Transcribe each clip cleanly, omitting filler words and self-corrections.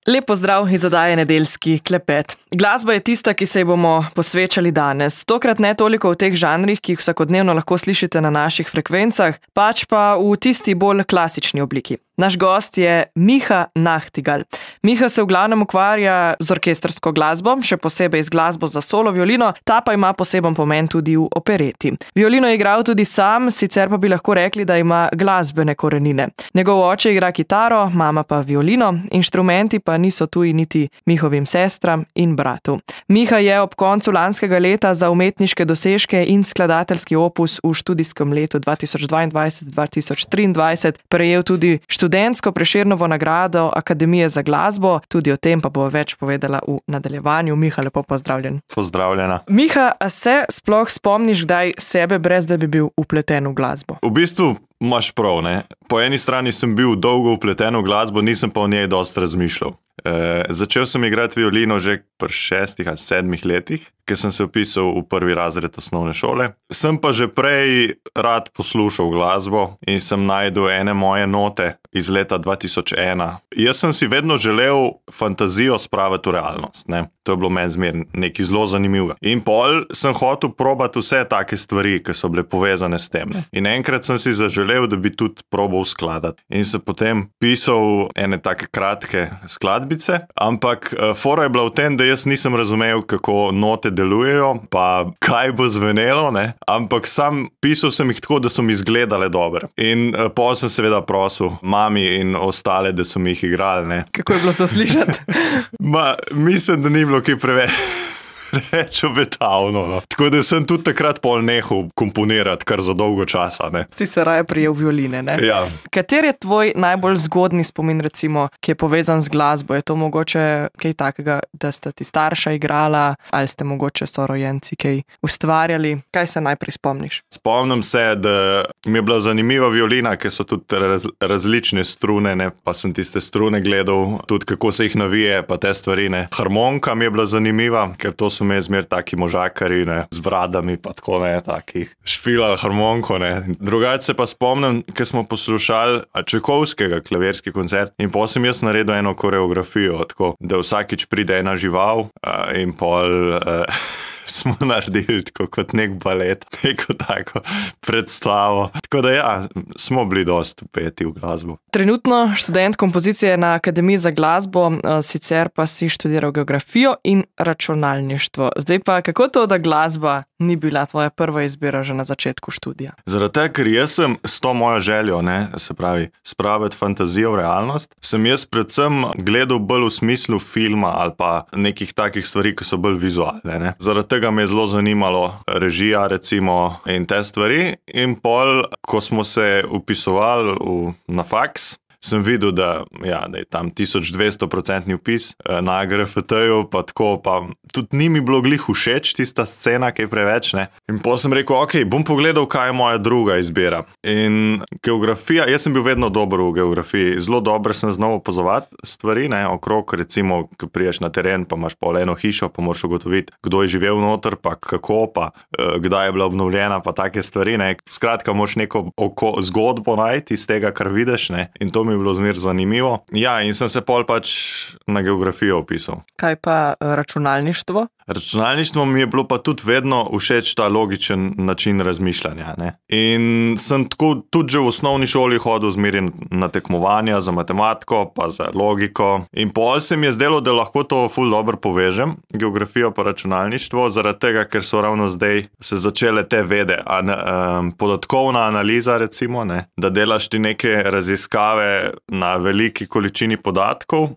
Lep pozdrav iz oddaje Nedeljski klepet. Glasba je tista, ki se ji bomo posvečali danes. Tokrat ne toliko v teh žanrih, ki jih vsakodnevno lahko slišite na naših frekvencah, pač pa v tisti bolj klasični obliki. Naš gost je Miha Nahtigal. Miha se v glavnem ukvarja z orkestrsko glasbo, še posebej z glasbo za solo violino, ta pa ima poseben pomen tudi v opereti. Violino je igral tudi sam, sicer pa bi lahko rekli, da ima glasbene korenine. Njegov oče igra kitaro, mama pa violino, inštrumenti pa niso tuji niti Mihovim sestram in bratu. Miha je ob koncu lanskega leta za umetniške dosežke in skladateljski opus v študijskem letu 2022-2023 prejel tudi študentsko Prešernovo nagrado Akademije za glasbo, tudi o tem pa bo več povedala v nadaljevanju. Miha, lepo pozdravljen. Pozdravljena. Miha, a se sploh spomniš kdaj sebe, brez da bi bil vpleten v glasbo? V bistvu imaš prav, ne? Po eni strani sem bil dolgo vpleten v glasbo, nisem pa o njej dosti razmišljal. Začel sem igrati violino že pri 6 ali 7 letih, ker sem se vpisal v prvi razred osnovne šole. Sem pa že prej rad poslušal glasbo in sem najdel ene moje note iz leta 2001. Jaz sem si vedno želel fantazijo spraviti v realnost, ne? To je bilo meni zmer nekaj zelo zanimivega. In pol sem hotel probati vse take stvari, ki so bile povezane s tem, ne? In enkrat sem si zaželel, da bi tudi probal skladati. In sem potem pisal ene take kratke skladbice, ampak fora je bila v tem, da jaz nisem razumel, kako note delujejo, pa kaj bo zvenelo, ne? Ampak sam pisal sem jih tako, da so mi izgledale dobre. In pol sem seveda prosil mami in ostale, da so mi jih igrali, ne? Kako je bilo to slišati? Mislim, da ni bilo kaj preveč obetavno, no. Tako da sem tudi takrat pol nehal komponirati kar za dolgo časa, ne. Si se raje prijel violine, ne? Ja. Kater je tvoj najbolj zgodni spomin, recimo, ki je povezan z glasbo? Je to mogoče kaj takega, da sta ti starša igrala, ali ste mogoče sorojenci kaj ustvarjali? Kaj se najprej spomniš? Spomnim se, da mi je bila zanimiva violina, ker so tudi različne strune, ne, pa sem tiste strune gledal, tudi kako se jih navije, pa te stvari, ne. Harmonika mi je bila zanimiva, ker to so me zmer taki možakari, ne, z bradami, pa tako, ne, taki šfilali harmoniko, ne. Drugače se pa spomnim, ker smo poslušali Čajkovskega klavirski koncert in potem sem jaz naredil eno koreografijo, tako, da vsakič pride ena žival in pol smo naredili tako kot nek balet, neko tako predstavo. Tako da ja, smo bili dosti vpeti v glasbo. Trenutno študent kompozicije na Akademiji za glasbo, sicer pa si študiral geografijo in računalništvo. Zdaj pa, kako to, da glasba ni bila tvoja prva izbira že na začetku študija? Zaradi tega, ker jaz sem s to mojo željo, ne, se pravi, spraviti fantazijo v realnost, sem jaz predvsem gledal bolj v smislu filma ali pa nekih takih stvari, ki so bolj vizualne, ne. Zaradi tega me je zelo zanimalo režija, recimo, in te stvari. In pol, ko smo se vpisovali na faks, sem videl, da je tam 1200% vpis na AGRFT-ju, pa tako, pa tudi ni mi bilo glih všeč tista scena, kaj preveč, ne. In potem sem rekel, ok, bom pogledal, kaj je moja druga izbira. In geografija, jaz sem bil vedno dober v geografiji, zelo dobro sem znal opazovati stvari, ne, okrog, recimo, ko priješ na teren, pa imaš pol eno hišo, pa moraš ugotoviti, kdo je živel noter, pa kako, pa kdaj je bila obnovljena, pa take stvari, ne. Skratka, moraš neko zgodbo najti iz tega, kar vidiš, ne. In to mi je bilo zmer zanimivo. Ja, in sem se pol pač na geografijo vpisal. Kaj pa računalništvo? Računalništvo mi je bilo pa tudi vedno všeč ta logičen način razmišljanja, ne. In sem tako tudi že v osnovni šoli hodil zmeraj na tekmovanja za matematiko, pa za logiko. In pol se mi je zdelo, da lahko to ful dobro povežem, geografijo pa računalništvo, zaradi tega, ker so ravno zdaj se začele te vede, podatkovna analiza, recimo, ne, da delaš ti neke raziskave na veliki količini podatkov,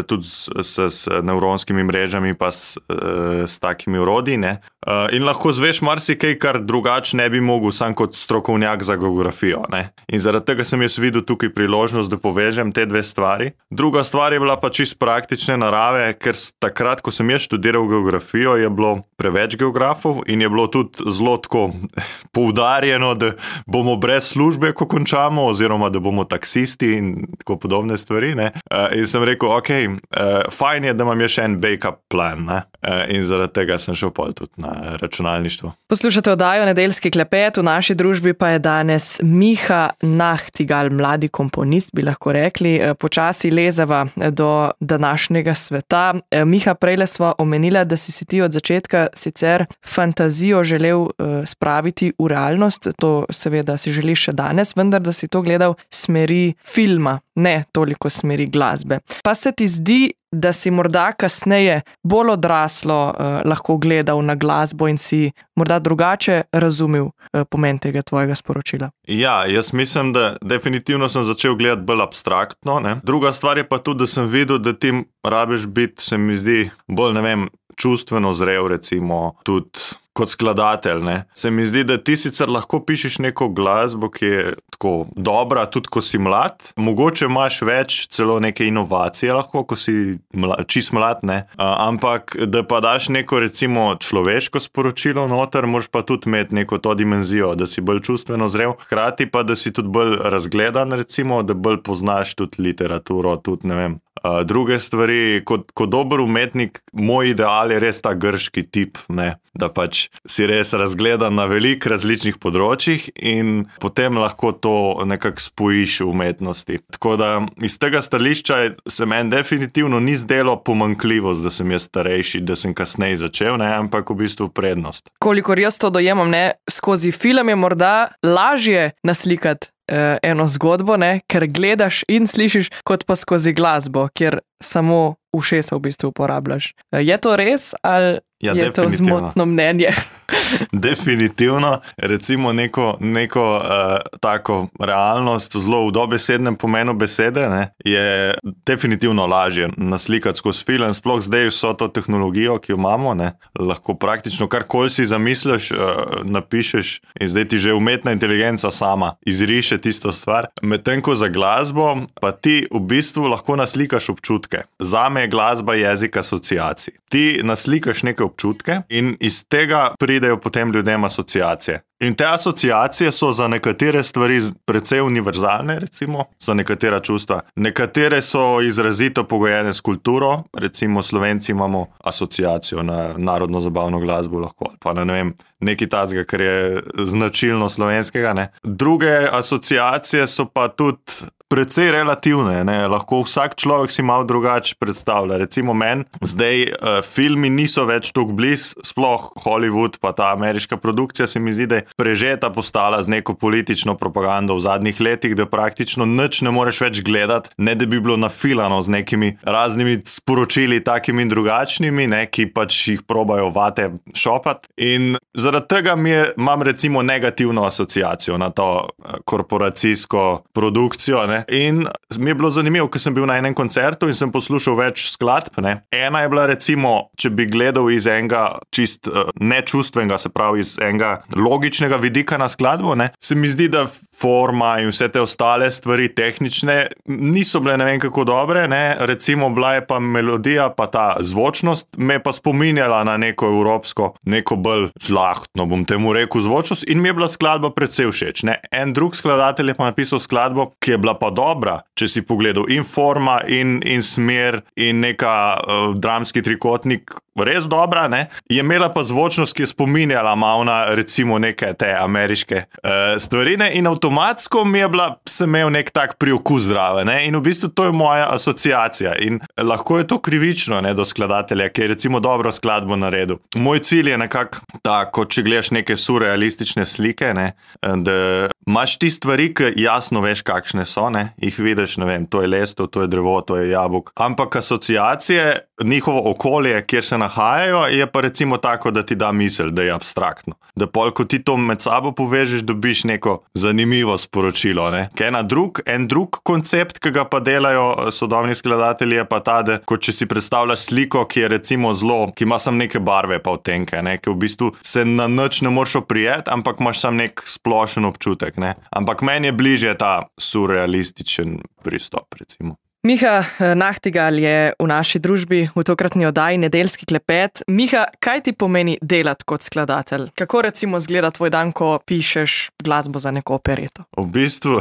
tudi s nevronskimi mrežami pa s takimi orodji, ne. In lahko zveš marsikaj, kar drugače ne bi mogel sam kot strokovnjak za geografijo, ne. In zaradi tega sem jaz videl tukaj priložnost, da povežem te dve stvari. Druga stvar je bila pa čisto praktične narave, ker takrat, ko sem jaz študiral geografijo, je bilo preveč geografov in je bilo tudi zelo tako poudarjeno, da bomo brez službe, ko končamo, oziroma da bomo taksisti in tako podobne stvari, ne. In sem rekel, ok, fajn je, da imam še en backup plan, ne? In zaradi tega sem šel pol tudi na računalništvo. Poslušate oddajo Nedeljski klepet, v naši družbi pa je danes Miha Nahtigal, mladi komponist, bi lahko rekli. Počasi lezava do današnjega sveta. Miha, prejle sva omenila, da si ti od začetka sicer fantazijo želel spraviti v realnost, to seveda si želiš še danes, vendar da si to gledal smeri filma, ne toliko smeri glasbe. Pa se ti zdi, da si morda kasneje bolj odraslo lahko gledal na glasbo in si morda drugače razumel pomen tega tvojega sporočila? Ja, jaz mislim, da definitivno sem začel gledati bolj abstraktno, ne. Druga stvar je pa tudi, da sem videl, da ti rabiš biti, se mi zdi, bolj, čustveno zrel, recimo, tudi kot skladatelj, ne. Se mi zdi, da ti sicer lahko pišeš neko glasbo, ki je tako dobra, tudi ko si mlad. Mogoče imaš več celo neke inovacije lahko, ko si čist mlad, ne. Ampak, da pa daš neko, recimo, človeško sporočilo noter, moraš pa tudi imeti neko to dimenzijo, da si bolj čustveno zrel. Hkrati pa, da si tudi bolj razgledan, recimo, da bolj poznaš tudi literaturo, tudi, druge stvari. Kot dober umetnik, moj ideal je res ta grški tip, ne. Da pač si res razgledan na veliko različnih področjih in potem lahko to nekako spojiš v umetnosti. Tako da iz tega stališča se meni definitivno ni zdelo pomanjkljivost, da sem jaz starejši, da sem kasneje začel, ne, ampak v bistvu prednost. Kolikor jaz to dojemam, ne, skozi film je morda lažje naslikati eno zgodbo, ne, ker gledaš in slišiš, kot pa skozi glasbo, kjer samo ušesa v bistvu uporabljaš. Je to res ali je to zmotno mnenje? Definitivno. Recimo neko tako realnost zelo v dobesednem pomenu besede, ne, je definitivno lažje naslikati skozi film, sploh zdaj vso to tehnologijo, ki jo imamo, ne, lahko praktično karkoli si zamisliš, napišeš in zdaj ti že umetna inteligenca sama izriše tisto stvar. Medtem ko za glasbo pa ti v bistvu lahko naslikaš občutke. Zame je glasba jezik asociacij. Ti naslikaš neke občutke in iz tega pridejo potem ljudem asociacije. In te asociacije so za nekatere stvari precej univerzalne, recimo, za nekatera čustva. Nekatere so izrazito pogojene s kulturo, recimo Slovenci imamo asociacijo na narodno zabavno glasbo lahko, pa nekaj tazga, kar je značilno slovenskega, ne. Druge asociacije so pa tudi precej relativne, ne. Lahko vsak človek si malo drugače predstavlja. Recimo meni zdaj filmi niso več toliko blizu, sploh Hollywood pa ta ameriška produkcija se mi zdi, da je prežeta postala z neko politično propagando v zadnjih letih, da praktično nič ne moreš več gledati, ne da bi bilo nafilano z nekimi raznimi sporočili takimi in drugačnimi, ne, ki pač jih probajo vate šopati. In zaradi tega imam recimo negativno asociacijo na to korporacijsko produkcijo, ne. In mi je bilo zanimivo, ko sem bil na enem koncertu in sem poslušal več skladb, ne. Ena je bila recimo, če bi gledal iz enega čist nečustvenega, se pravi iz enega logičnega vidika na skladbo, ne, se mi zdi, da forma in vse te ostale stvari tehnične niso bile ne vem kako dobre, ne. Recimo bila je pa melodija, pa ta zvočnost me pa spominjala na neko evropsko, neko bolj žlahtno, bom temu rekel, zvočnost in mi je bila skladba precej všeč, ne. En drug skladatelj je pa napisal skladbo, ki je bila pa dobra, če si pogledal in forma in smer in neka dramski trikotnik res dobra, ne, je imela pa zvočnost, ki je spominjala malo na recimo neke te ameriške stvarine in avtomatsko sem imel nek tak priokus zraven, ne, in v bistvu to je moja asociacija in lahko je to krivično, ne, do skladatelja, ki je recimo dobro skladbo naredil. Moj cilj je nekako tako, če gledaš neke surrealistične slike, ne, da imaš ti stvari, ki jasno veš, kakšne so, ne, jih vidiš, to je lesto, to je drevo, to je jabolk, ampak asociacije, njihovo okolje, kjer se nahajajo, je pa recimo tako, da ti da misel, da je abstraktno. Da pol, ko ti to med sabo povežeš, dobiš neko zanimivo sporočilo, ne. En drug koncept, ki ga pa delajo sodobni skladatelji, je pa ta, da kot če si predstavljaš sliko, ki je recimo ki ima samo neke barve pa odtenke, ne, ki v bistvu se na nič ne moreš oprijeti, ampak imaš samo nek splošen občutek, ne. Ampak meni je bližje ta surrealističen pristop, recimo. Miha Nahtigal je v naši družbi v tokratni oddaji Nedeljski klepet. Miha, kaj ti pomeni delati kot skladatelj? Kako recimo izgleda tvoj dan, ko pišeš glasbo za neko opereto? V bistvu,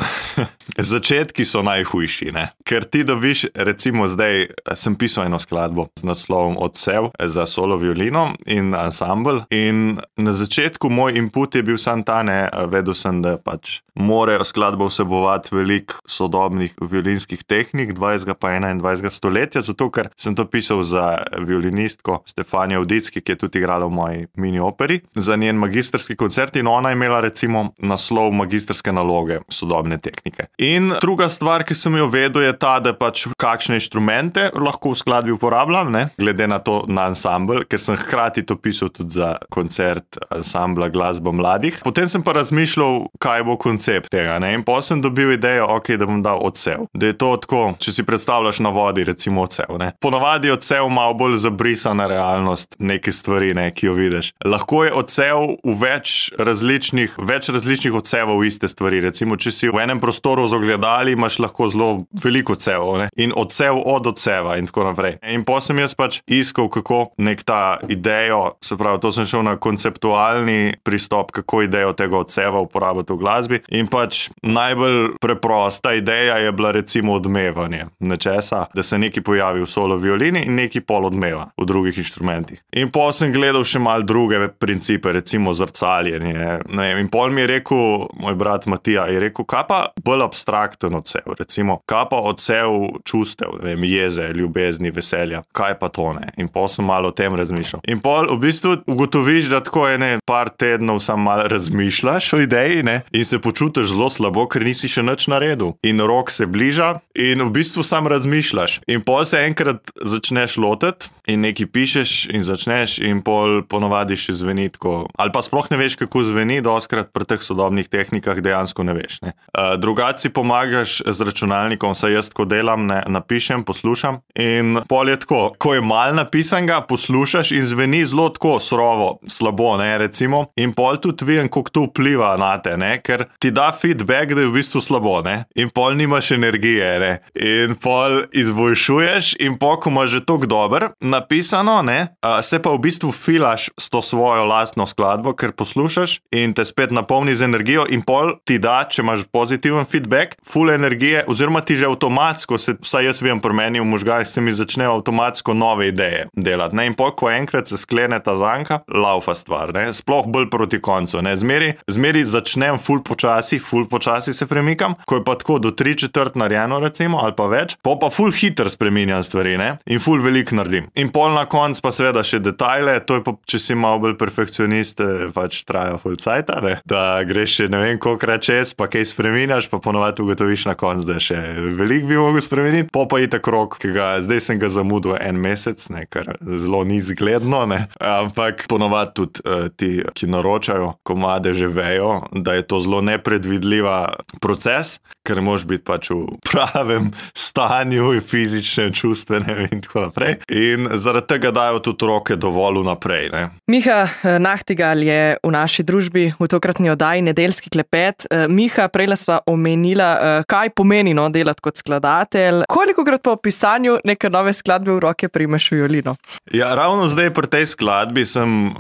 začetki so najhujši, ne? Ker ti dobiš, recimo zdaj sem pisal eno skladbo z naslovom Odsev za solo violino in ansambl in na začetku moj input je bil sam ta, ne, vedel sem, da pač morajo skladbo vsebovati veliko sodobnih violinskih tehnik 20. pa 21. stoletja, zato ker sem to pisal za violinistko Stefanijo Vdicki, ki je tudi igrala v moji mini operi, za njen magistrski koncert in ona je imela recimo naslov magistrske naloge sodobne tehnike. In druga stvar, ki sem jo vedel, je ta, da pač kakšne inštrumente lahko v skladbi uporabljam, ne, glede na to na ansambl, ker sem hkrati to pisal tudi za koncert ansambla Glasba mladih. Potem sem pa razmišljal, kaj bo koncept tega, ne, in potem sem dobil idejo, da bom dal odsev. Da je to tako, če si predstavljaš na vodi, recimo odsev, ne. Ponavadi je odsev malo bolj zabrisana realnost neke stvari, ne, ki jo vidiš. Lahko je odsev v več različnih odsevov iste stvari. Recimo, če si v enem prostoru z ogledali, imaš lahko zelo veliko odsevov, ne, in odsev od odseva in tako naprej. In potem sem jaz pač iskal, kako nek ta idejo, se pravi, to sem šel na konceptualni pristop, kako idejo tega odseva uporabiti v glasbi in pač najbolj preprosta ideja je bila recimo odmevanje nečesa, da se nekaj pojavi v solo violini in nekaj pol odmeva v drugih inštrumentih. In potem sem gledal še malo druge principe, recimo zrcaljenje. In pol mi je rekel, moj brat Matija, je rekel, kaj pa bolj abstrakten odsev, recimo, kaj pa odsev čustev, ne vem, jeze, ljubezni, veselja, kaj pa to, ne. In pol sem malo o tem razmišljal. In pol v bistvu ugotoviš, da tako par tednov sam malo razmišljaš o ideji, ne, in se počutiš zelo slabo, ker nisi še nič naredil. In rok se bliža in v bistvu sam razmišljaš. In pol se enkrat začneš lotiti in nekaj pišeš in začneš in pol ponovadi še zveni tako. Ali pa sploh ne veš, kako zveni, dostikrat pri teh sodobnih tehnikah dejansko ne veš, ne. Drugače si pomagaš z računalnikom, saj jaz tako delam, ne, napišem, poslušam in pol je tako, ko je malo napisanega, poslušaš in zveni zelo tako surovo, slabo, ne, recimo. In pol tudi vidim, kako to vpliva na te, ne, ker ti da feedback, da je v bistvu slabo, ne. In pol nimaš energije, ne. In pol izboljšuješ in pol, ko imaš že toliko dober napisano, ne, se pa v bistvu filaš s to svojo lastno skladbo, ker poslušaš in te spet napolni z energijo in pol ti da, če imaš pozitiven feedback, full energije, oziroma ti že avtomatsko, vsaj jaz vem pri meni v možganih, se mi začnejo avtomatsko nove ideje delati, ne, in pol, ko enkrat se sklene ta zanka, laufa stvar, ne, sploh bolj proti koncu, ne, zmeri začnem full počasi se premikam, ko je pa tako do 3/4 narejeno recimo, ali pa več, pa full hiter spreminjam stvari, ne, in full veliko naredim. In pol na konc pa seveda še detajle, to je pa, če si malo bolj perfekcionist, pač traja full cajta, ne, da greš še ne vem kolikrat čez, pa kaj spreminjaš, pa ponovadi ugotoviš na konc, da še veliko bi mogel spremeniti, pa itak rok, zdaj sem ga zamudil 1 mesec, ne, kar zelo ni zgledno, ne, ampak ponovadi tudi ti, ki naročajo komade, že vejo, da je to zelo nepredvidljiva proces, ker moraš biti pač v pravem stanju, fizičnem, čustvenem in tako naprej. In zaradi tega dajo tudi roke dovolj vnaprej, ne. Miha Nahtigal je v naši družbi v tokratni oddaji Nedeljski klepet. Miha, prejle sva omenila, kaj pomeni delati kot skladatelj. Kolikokrat po pisanju neke nove skladbe v roke primeš violino? Ja, ravno zdaj pri tej skladbi sem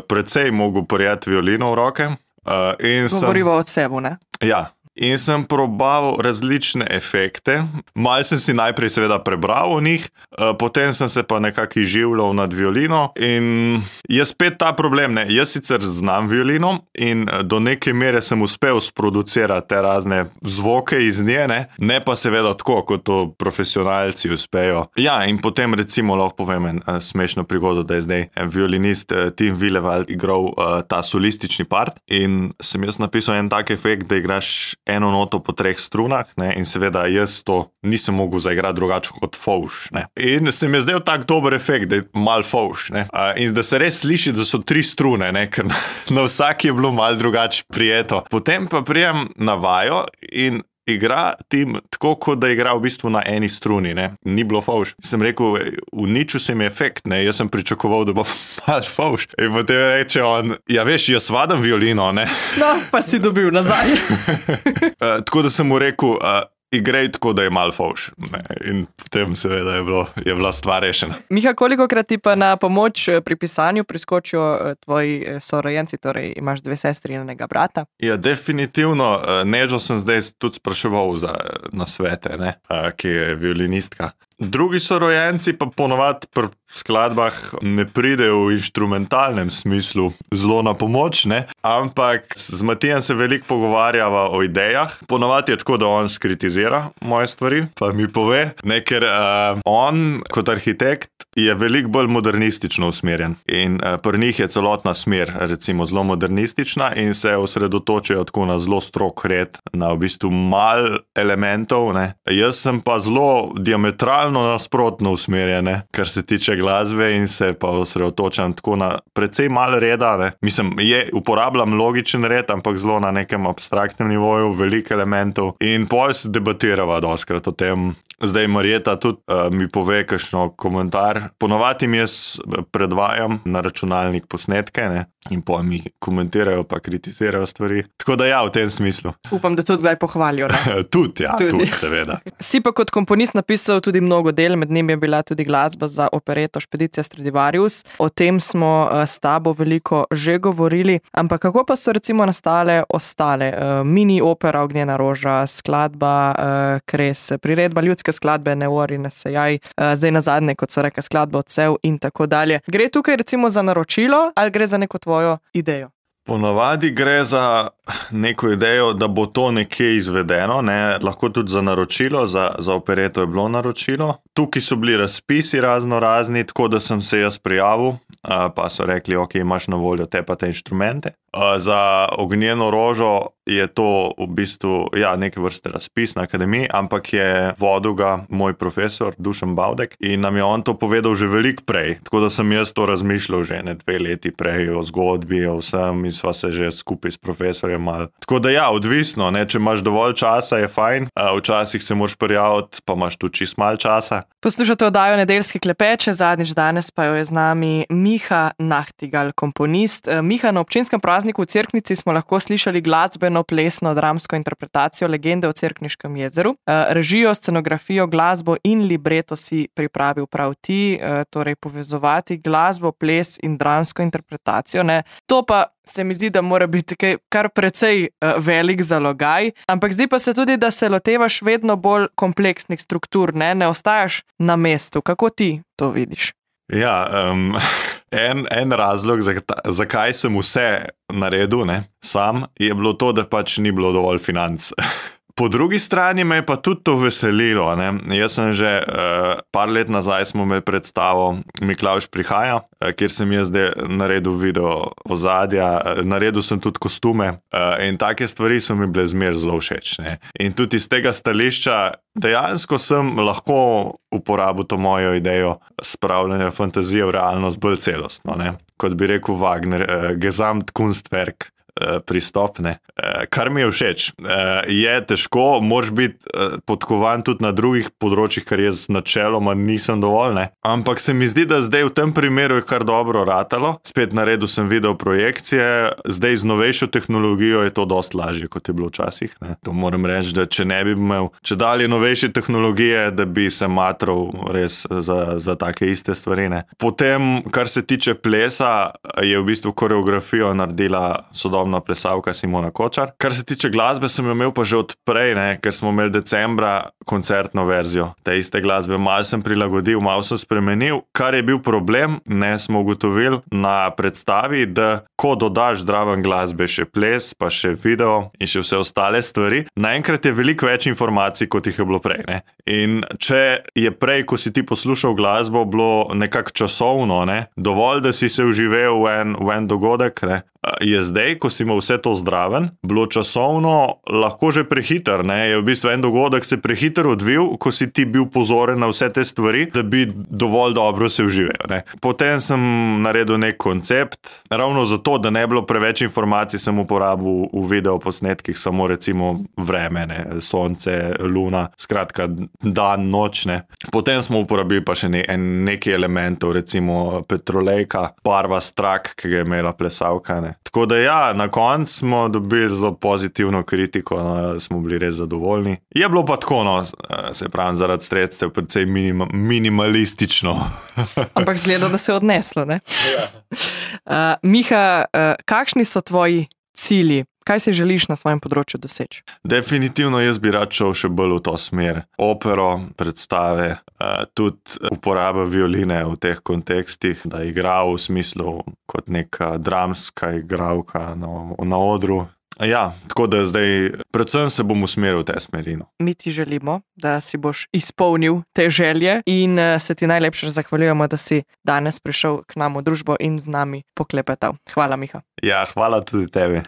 precej mogel prijeti violino v roke. Govoriva o odsevu, ne? Ja. In sem probaval različne efekte. Malo sem si najprej seveda prebral o njih, potem sem se pa nekako izživljal nad violino in je spet ta problem, ne. Jaz sicer znam violino in do neke mere sem uspel sproducirati te razne zvoke iz nje, ne pa seveda tako, kot to profesionalci uspejo. Ja, in potem recimo lahko povem en smešno prigodo, da je zdaj violinist Tim Willewald igral ta solistični part in sem jaz napisal en tak efekt, da igraš eno noto po 3 strunah, ne, in seveda jaz to nisem mogel zaigrati drugače kot fovš, ne. In se mi je zdel tak dober efekt, da je mal fovš, ne. In da se res sliši, da so 3 strune, ne, ker na vsaki je bilo mal drugače prijeto. Potem pa prijem na vajo in igra Tim tako, kot da igra v bistvu na eni struni, ne. Ni bilo fovš. Sem rekel, uničil se mi efekt, ne, jaz sem pričakoval, da bo mal fovš. In potem reče on, ja veš, jaz vadam violino, ne. No, pa si dobil nazaj. Tako da sem mu rekel, igrej tako, da je malo fovš. In potem seveda je bila stvar rešena. Miha, kolikokrat ti pa na pomoč pri pisanju priskočijo tvoji sorojenci, torej imaš 2 sestri in enega brata? Ja, definitivno. Nežo sem zdaj tudi spraševal za nasvete, ki je violinistka. Drugi sorojenci pa ponovadi pri skladbah ne pridejo v inštrumentalnem smislu zelo na pomoč, ampak z Matijem se veliko pogovarjava o idejah. Ponovadi je tako, da on skritizira moje stvari, pa mi pove, ker on kot arhitekt je veliko bolj modernistično usmerjen in pri njih je celotna smer recimo zelo modernistična in se osredotočajo tako na zelo strog red, na v bistvu malo elementov. Jaz sem pa zelo diametralno nasprotno usmerjen, kar se tiče glasbe in se pa osredotočam tako na precej malo reda. Mislim, uporabljam logičen red, ampak zelo na nekem abstraktnem nivoju, veliko elementov in pol se debatirava dostkrat o tem. Zdaj Marjeta tudi mi pove kakšno komentar. Ponovadi jaz predvajam na računalnik posnetke in pol mi komentirajo pa kritizirajo stvari. Tako da ja, v tem smislu. Upam, da tudi kdaj pohvalijo. Tudi, seveda. Si pa kot komponist napisal tudi mnogo del, med njimi je bila tudi glasba za opereto Špedicija Stradivarius. O tem smo s tabo veliko že govorili, ampak kako pa so recimo nastale ostale? Mini opera Ognjena roža, skladba Kres, priredba ljudske skladbe Ne ori, ne sejaj, zdaj nazadnje, kot so rekli, skladba Odsev in tako dalje. Gre tukaj recimo za naročilo ali gre za neko tvojo idejo? Ponavadi gre za neko idejo, da bo to nekje izvedeno, lahko tudi za naročilo, za opereto je bilo naročilo. Tukaj so bili razpisi razno razni, tako da sem se jaz prijavil, pa so rekli, ok, imaš na voljo te pa te inštrumente. Za Ognjeno rožo je to v bistvu neke vrste razpis na akademiji, ampak je vodil ga moj profesor Dušan Bavdek in nam je on to povedal že veliko prej, tako da sem jaz to razmišljal že 2 leti prej o zgodbi, o vsem in sva se že skupaj s profesorjem malo. Tako da odvisno, če imaš dovolj časa, je fajn, včasih se moraš prijaviti, pa imaš tudi čist malo časa. Poslušate oddajo Nedeljski klepeče, zadnjič danes pa jo je z nami Miha Nachtigal, komponist. Miha, na občinskem prazniku v Cerknici smo lahko slišali glasbeno, plesno, dramsko interpretacijo Legende o Cerkniškem jezeru. Režijo, scenografijo, glasbo in libreto si pripravil prav ti, torej povezovati glasbo, ples in dramsko interpretacijo. To pa se mi zdi, da mora biti kar precej velik zalogaj, ampak zdi pa se tudi, da se lotevaš vedno bolj kompleksnih struktur, ne ostajaš na mestu. Kako ti to vidiš? Ja, en razlog, zakaj sem vse naredil sam, je bilo to, da pač ni bilo dovolj financ. Po drugi strani me je pa tudi to veselilo. Jaz sem že par let nazaj smo imeli predstavo Miklavž prihaja, kjer sem jaz naredil video ozadja, naredil sem tudi kostume in take stvari so mi bile zmer zelo všeč. In tudi iz tega stališča dejansko sem lahko uporabil to mojo idejo spravljanja fantazije v realnost bolj celostno. Kot bi rekel Wagner, Gesamtkunstwerk. Pristop, kar mi je všeč. Je težko, moraš biti podkovan tudi na drugih področjih, kar jaz načeloma nisem dovolj, ampak se mi zdi, da zdaj v tem primeru je kar dobro ratalo. Spet naredil sem video projekcije, zdaj z novejšo tehnologijo je to dosti lažje, kot je bilo včasih. To moram reči, da če ne bi imel čedalje novejše tehnologije, da bi se matral res za take iste stvari. Potem, kar se tiče plesa, je v bistvu koreografijo naredila sodobna plesalka Simona Kočar. Kar se tiče glasbe, sem jo imel pa že od prej, ker smo imeli decembra koncertno verzijo te iste glasbe. Malo sem prilagodil, malo sem spremenil. Kar je bil problem, smo ugotovili na predstavi, da ko dodaš zraven glasbe še ples, pa še video in še vse ostale stvari, naenkrat je veliko več informacij, kot jih je bilo prej. In če je prej, ko si ti poslušal glasbo, bilo nekako časovno, dovolj, da si se vživel v en dogodek, je zdaj, ko si imel vse to zdraven, bilo časovno lahko že prehiter. Je v bistvu en dogodek se prehiter odvil, ko si ti bil pozoren na vse te stvari, da bi dovolj dobro se vživel. Potem sem naredil nek koncept, ravno zato, da ne bilo preveč informacij, sem uporabil v video posnetkih samo recimo vreme, sonce, luna, skratka dan, noč. Potem smo uporabili pa še nekaj elementov, recimo petrolejka, barva strak, ki ga je imela plesalka. Tako da ja, na koncu smo dobili zelo pozitivno kritiko, no, smo bili res zadovoljni. Je bilo pa tako, no, se pravi, zaradi sredstev precej minimalistično. Ampak zgleda, da se je odneslo, ne? Ja. Miha, kakšni so tvoji cilji? Kaj si želiš na svojem področju doseči? Definitivno jaz bi rad šel še bolj v to smer. Opero, predstave, tudi uporaba violine v teh kontekstih, da igra v smislu kot neka dramska igralka na odru. Ja, tako da zdaj predvsem se bom usmeril v te smeri. Mi ti želimo, da si boš izpolnil te želje in se ti najlepše zahvaljujemo, da si danes prišel k nam v družbo in z nami poklepetal. Hvala, Miha. Ja, hvala tudi tebi.